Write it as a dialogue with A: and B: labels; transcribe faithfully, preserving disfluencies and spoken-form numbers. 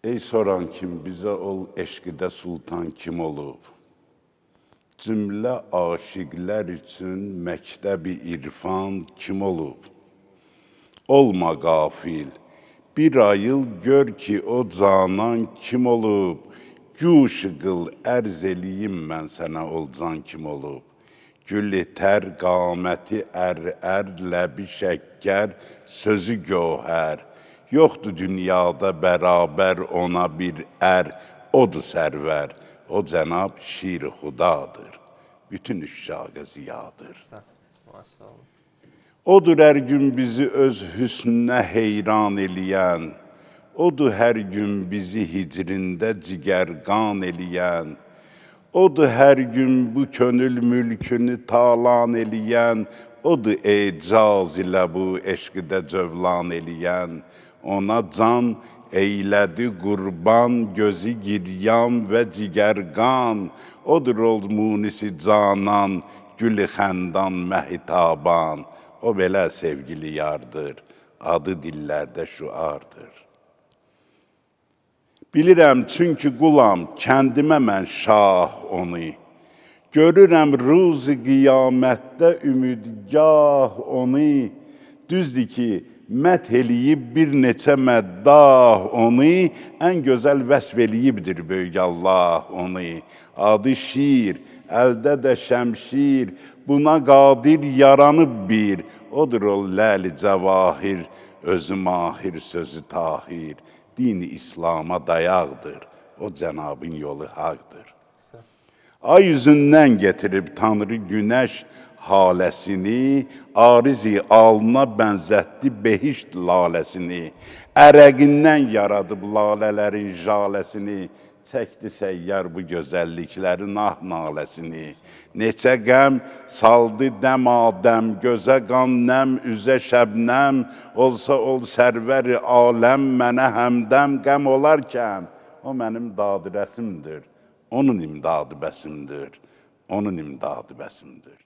A: Ey soran kim, bizə ol eşqidə sultan kim olub? Cümlə aşiqlər üçün məktəbi irfan kim olub? Olma qafil, bir ayıl gör ki o canan kim olub? Güş qıl, ərz eləyim mən sənə ol can kim olub? Gülü tər, qaməti ər-ər, ləbi şəkkər, sözü gövhər. Yoxdur dünyada bərabər ona bir ər, odur sərvər. O cənab şir-i xudadır, bütün üşşaqa ziyadır. Odur hər gün bizi öz hüsnünə heyran eləyən, odur hər gün bizi hicrində cigərqan eləyən, odur hər gün bu könül mülkünü talan eləyən, odur ecaz ilə bu eşqidə cövlan eləyən, ona can eylədi qurban, gözü giryan və cigərqan, odur ol munisi canan, gülü xəndan məhitaban, o belə sevgili yardır, adı dillərdə şüardır. Bilirəm çünki qulam, kəndimə mən şah onu, görürəm ruzi qiyamətdə ümidgah onu, düzdür ki, məth eləyib bir neçə məddah onu, ən gözəl vəsf eləyibdir böyük Allah onu. Adı şir, əldə də şəmşir, buna qadir yaranıb bir, odur o ləli cəvahir, özü mahir, sözü tahir, dini İslam'a dayaqdır, o cənabın yolu haqdır. Ay üzündən getirib Tanrı günəş haləsini, arizi alına bənzətdi behişt laləsini, ərəqindən yaradıb lalələrin jaləsini, çəkdi səyyar bu gözəlliklərin ah naləsini. Neçə qəm saldı dəm-adəm, gözə qan nəm, üzə şəbnəm, olsa ol sərvəri aləm, mənə həmdəm qəm olarkən, o mənim dadı rəsimdir, onun imdadı bəsimdir, onun imdadı bəsimdir.